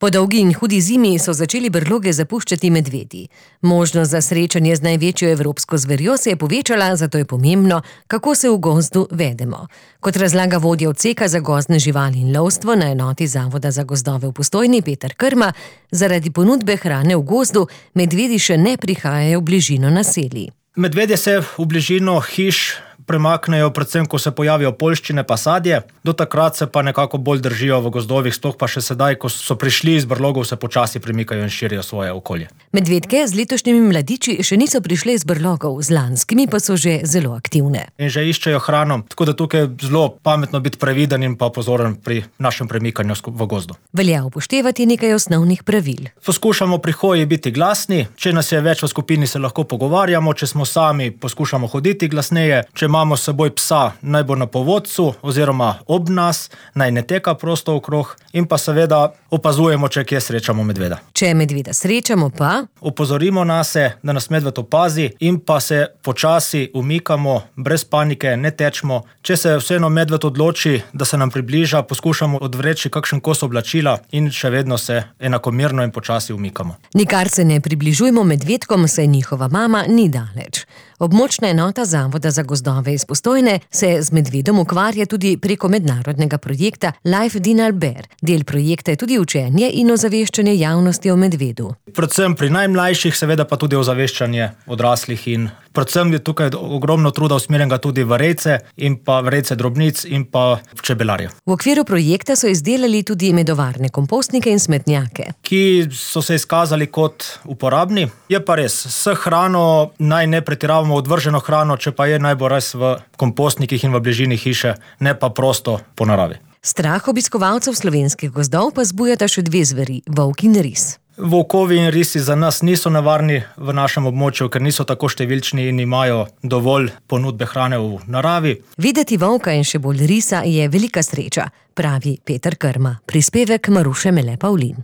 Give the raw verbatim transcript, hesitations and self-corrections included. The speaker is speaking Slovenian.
Po dolgi in hudi zimi so začeli brloge zapuščati medvedi. Možnost za srečanje z največjo evropsko zverjo se je povečala, zato je pomembno, kako se v gozdu vedemo. Kot razlaga vodja odseka za gozdne živali in lovstvo na enoti Zavoda za gozdove v Postojni Peter Krma, zaradi ponudbe hrane v gozdu medvedi še ne prihajajo v bližino naselij. Medvedje se v bližino hiš premaknejo, predvsem ko se pojavijo poljščine pa sadje, do takrat se pa nekako bolj držijo v gozdovih, sploh pa še sedaj, ko so prišli iz brlogov, se počasi premikajo in širijo svoje okolje. Medvedke z letošnjimi mladiči še niso prišle iz brlogov, z lanskimi pa so že zelo aktivne. In že iščejo hrano, tako da tukaj je zelo pametno biti previden in pa pozoren pri našem premikanju v gozdu. Velja upoštevati nekaj osnovnih pravil. Poskušamo pri hoji biti glasni, če nas je več v skupini, se lahko pogovarjamo, če smo sami, poskušamo hoditi glasneje, če imamo s seboj psa, naj bo na povodcu oziroma ob nas, naj ne teka prosto okrog in pa seveda opazujemo, če kje srečamo medveda. Če medveda srečamo pa opozorimo nase, da nas medved opazi in pa se počasi umikamo, brez panike, ne tečemo. Če se vseeno medved odloči, da se nam približa, poskušamo odvreči kakšen kos oblačila in še vedno se enakomerno in počasi umikamo. Nikar se ne približujmo medvedkom, saj njihova mama ni daleč. Območna enota Zavoda za gozdove iz Postojne se z medvedom ukvarja tudi preko mednarodnega projekta Life Dinner Bear. Del projekta je tudi učenje in ozaveščanje javnosti o medvedu. Predvsem pri najmlajših, seveda pa tudi ozaveščanje odraslih in predvsem je tukaj ogromno truda usmerjenega tudi v rejce in pa v rejce drobnic in pa v čebelarje. V okviru projekta so izdelali tudi medovarne kompostnike in smetnjake, ki so se izkazali kot uporabni. Je pa res, s hrano naj ne pretiravamo odvrženo hrano, če pa je naj bo res v kompostnikih in v bližini hiše, ne pa prosto po naravi. Strah obiskovalcev slovenskih gozdov pa zbujata še dve zveri, volk in ris. Volkovi in risi za nas niso nevarni v našem območju, ker niso tako številčni in imajo dovolj ponudbe hrane v naravi. Videti volka in še bolj risa je velika sreča, pravi Peter Krma. Prispevek Maruše Mele Pavlin.